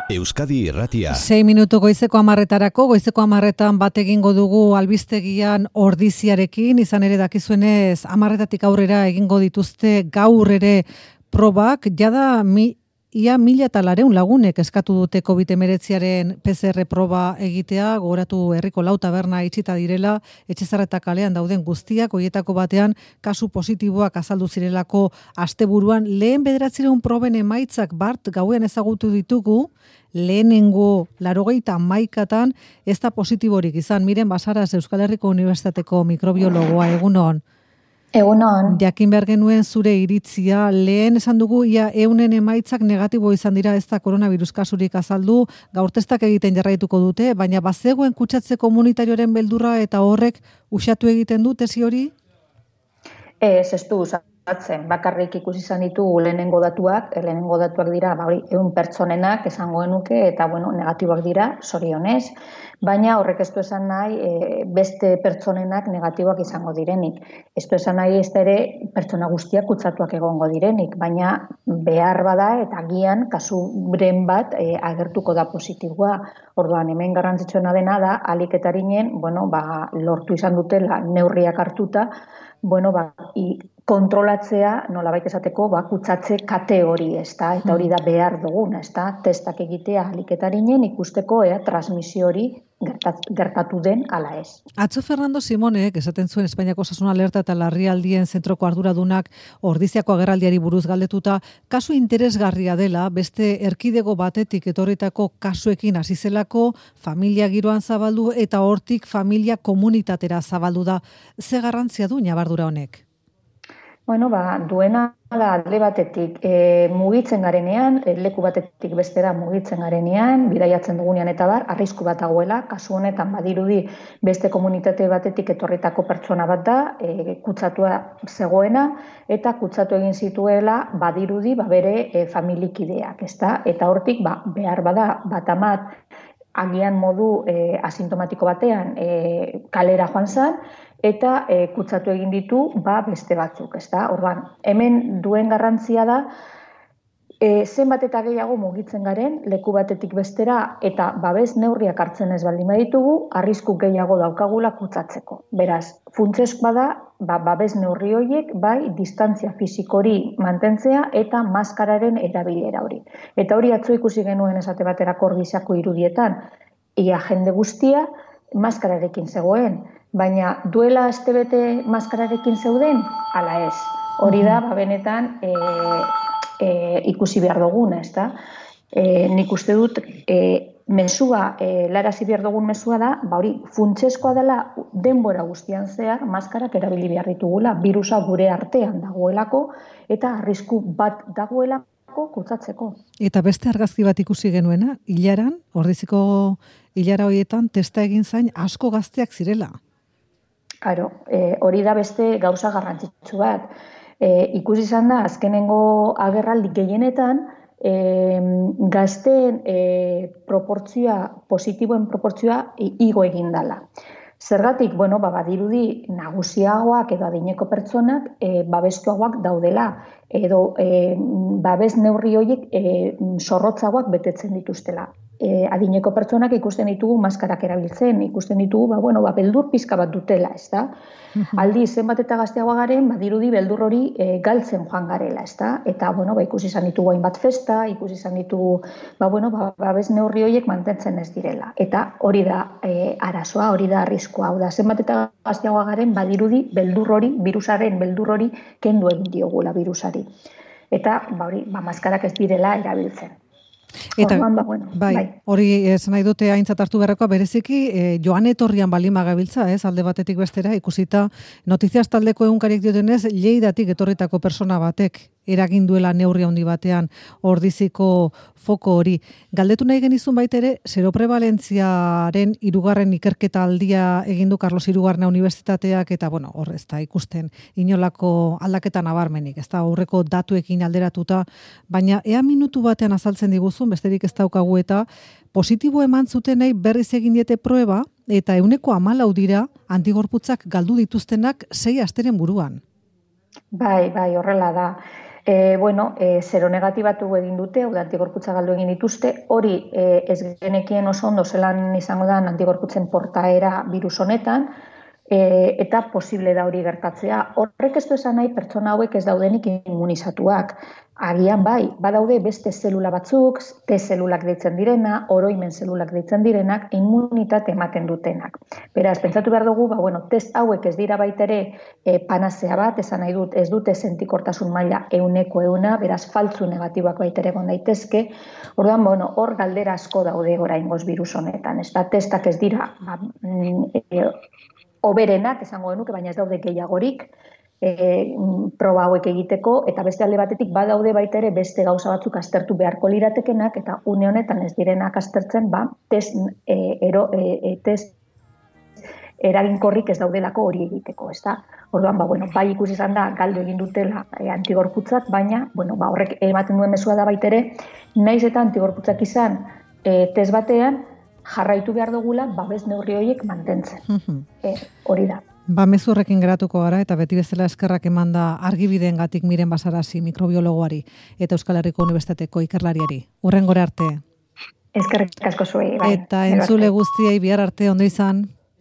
Euskadi Irratia. 6 minutu goizeko 10:00 goizeko 10:00 bat egingo dugu albistegian ordiziarekin, izan ere dakizuenez 10:00 aurrera egingo dituzte gaur ere probak, jada ia 1.400 lagunek eskatu dute COVID-19 PCR proba egitea, gogoratu herriko 4 taberna itxita direla, Etxezarreta kalean dauden guztiak, horietako batean kasu positiboak azaldu zirelako asteburuan, lehen 900 proben emaitzak bart gauean ezagutu ditugu, lehenengo 81 ez da positiborik izan. Miren Basaras, Euskal Herriko Unibertsitateko mikrobiologoa, egunon. Egunon. Jakin behar genuen zure iritzia, lehen esan dugu ia 100 emaitzak negatibo izan dira, ez da koronavirus kasurik azaldu, gaur testak egiten jarraituko dute, baina bazegoen kutsatze komunitarioaren beldurra eta horrek usatu egiten du tesi hori? Ez du usatzen, bakarrik ikusi izan ditugu lehenengo datuak dira, 100 pertsonenak esango genuke, eta negatiboak dira, zorionez, baina horrek ez du esan nahi beste pertsonenak negatiboak izango direnik. Ez du esan nahi ez ere pertsona guztiak kutsatuak egongo direnik, baina behar bada eta agian kasuren bat agertuko da positiboa. Orduan, hemen garrantzitsuena dena da, ahalik eta arinen, lortu izan dutela neurriak hartuta, kontrolatzea, nolabait esateko, kutsatze kate hori, ezta? Eta hori da behar duguna, ezta? Testak egitea ahalik eta arinen ikusteko transmisio hori gertatu den ala ez. Atzo Fernando Simonek esaten zuen Espainiako Osasun Alerta eta Larrialdien Zentroko arduradunak Ordiziako agerraldiari buruz galdetuta, kasu interesgarria dela, beste erkidego batetik etorritako kasuekin hasi zelako, familia giroan zabaldu eta hortik familia komunitatera zabaldu da. Ze garrantzia du ñabardura honek? Duena alde batetik mugitzen garenean, leku batetik bestera mugitzen garenean, bidaiatzen dugunean eta arrisku bat dagoela, kasu honetan badirudi beste komunitate batetik etorritako pertsona bat da, kutsatua zegoena, eta kutsatu egin zituela badirudi bere familikideak, ezta? Eta hortik behar bada bat agian modu asintomatiko batean kalera joan zen, eta kutsatu egin ditu beste batzuk, ezta? Orduan, hemen duen garrantzia da zenbat eta gehiago mugitzen garen leku batetik bestera eta babes neurriak hartzen ez baldin baditugu, arrisku gehiago daukagula kutsatzeko. Beraz, funtsezkoa da babes neurri horiek distantzia fisikori mantentzea eta maskararen erabilera hori. Eta hori atzo ikusi genuen esate baterako Ordiziako irudietan, ia jende guztia maskararekin zegoen, baina duela astebete maskararekin zeuden, ala ez. Hori da, benetan ikusi behar duguna, ezta? Nik uste dut, mesua, larazi behar dugun mesua da, hori funtsezkoa dela denbora guztian zehar, maskarak erabili behar ditugula, virusa gure artean dagoelako, eta arrisku bat dagoelako kutsatzeko. Eta beste argazki bat ikusi genuena, hilaran, Ordiziko hilara horietan, testa egin zain asko gazteak zirela. Claro, hori da beste gauza garrantzitsu bat. Ikusi izan da, azkenengo agerraldi gehienetan, gazteen positiboen proportzioa igo egin dela. Zergatik, badirudi nagusiagoak edo adineko pertsonak babestuagoak daudela, edo babes neurri horiek zorrotzagoak betetzen dituztela. Adineko pertsonak ikusten ditugu maskarak erabiltzen, ikusten ditugu, beldur pizka bat dutela, ez da? Aldi, zenbat eta gazteagoa garen, badirudi beldur hori galtzen joan garela, ez da? Eta, ikusi izan ditugu hainbat festa, ikusi izan ditugu, babes neurri horiek mantentzen ez direla. Eta hori da arazoa, hori da arriskua. Hau da, zenbat eta gazteagoa garen, badirudi beldur hori, virusaren beldur hori kendu egin diogula virusari. Eta, maskarak ez direla erabiltzen. Eta, hori esan nahi dute aintzat hartu beharrekoa, bereziki joan etorrian baldin bagabiltza, alde batetik bestera, ikusita notiziaz taldeko egunkariek diotenez, Lleidatik etorritako persona batek eragin duela neurri handi batean Ordiziko foko hori. Galdetu nahi genizun baitere, seroprevalentziaren 3. ikerketa aldia egin du Carlos III Unibertsitateak, eta hor ez da ikusten inolako aldaketa nabarmenik, ez da aurreko datuekin alderatuta, baina ea minutu batean azaltzen diguzun, besterik ez daukagu eta positibo eman zutenei berriz egin diete proeba, eta 14 dira antigorputzak galdu dituztenak 6 asteren buruan. Bai, horrela da. Seronegatibatu egin dute, hau da antigorputza galdu egin dituzte, hori ez genekien oso ondo zelan izango da antigorputzen portaera virus honetan, eta posible da hori gertatzea. Horrek ez du esan nahi pertsona hauek ez daudenik immunizatuak. Agian bai, badaude beste zelula batzuk, T-zelulak deitzen direna, oroimen zelulak deitzen direnak, immunitate ematen dutenak. Beraz, pentsatu behar dugu, test hauek ez dira baitere panazea bat, esan nahi dut, ez dute sentikortasun maila 100%, beraz, faltzu negatiboak baitere egon daitezke. Orduan, hor galdera asko daude oraingoz virus honetan. Ez da, testak ez dira, oberenak, esango genuke, baina ez daude gehiagorik, proba hauek egiteko, eta beste alde batetik badaude baitere beste gauza batzuk aztertu beharko liratekenak, eta une honetan ez direnak aztertzen, test eraginkorrik ez daudelako hori egiteko, ez da? Orduan, bai ikusi izan da, galdu egin dutela antigorputzak, baina, horrek ematen duen mezua da baitere, naiz eta antigorputzak izan test batean, jarraitu behar dugula, babes neurri horiek mantentzen. Hori da. Mezurrekin geratuko gara, eta beti bezala eskerrak eman da argibideengatik Miren Basarazi mikrobiologoari eta Euskal Herriko Unibertsitateko ikerlariari. Hurrengora arte. Eskerrik asko zuei. Eta entzule guztiei bihar arte ondo izan.